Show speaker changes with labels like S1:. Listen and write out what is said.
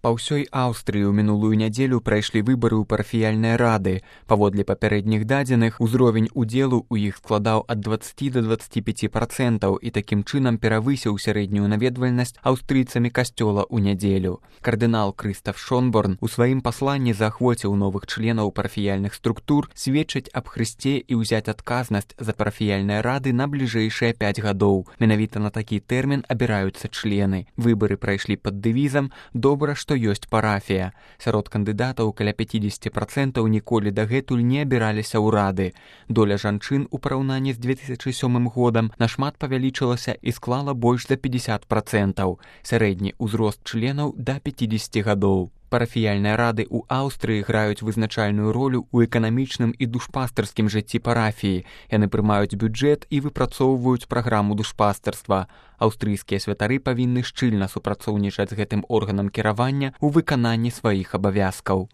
S1: Па ўсёй Аўстрыі ў мінулую нядзелю прайшлі выбары ў парафіяльныя рады. Паводле папярэдніх дадзеных, узровень удзелу ў іх складаў ад 20 до 25% і такім чынам перавысіў сярэднюю наведвальнасць аўстрыйцамі касцёла ў нядзелю. Кардынал Крыстаф Шонборн у сваім пасланні заахвоціў новых членаў парафіяльных структур сведчыць аб Хрысце і ўзяць адказнасць за парафіяльныя рады на бліжэйшыя 5 гадоў. Менавіта на такі тэрмін абіраюцца члены. Выбары прайшлі пад дэвізам «Добра, што ёсць парафія». Сярод кандыдатаў каля 50% ніколі дагэтуль не абіраліся ў рады. Доля жанчын у параўнанні з 2007 годам нашмат павялічылася і склала больш за 50%. Сярэдні ўзрост членаў да 50 гадоў. Парафіяльныя рады ў Аўстрыі граюць вызначальную ролю ў эканамічным і душпастарскім жыцці парафіі. Яны прымаюць бюджэт і выпрацоўваюць праграму душпастарства. Аўстрыйскія святары павінны шчыльна супрацоўнічаць з гэтым органам кіравання ў выкананні сваіх абавязкаў.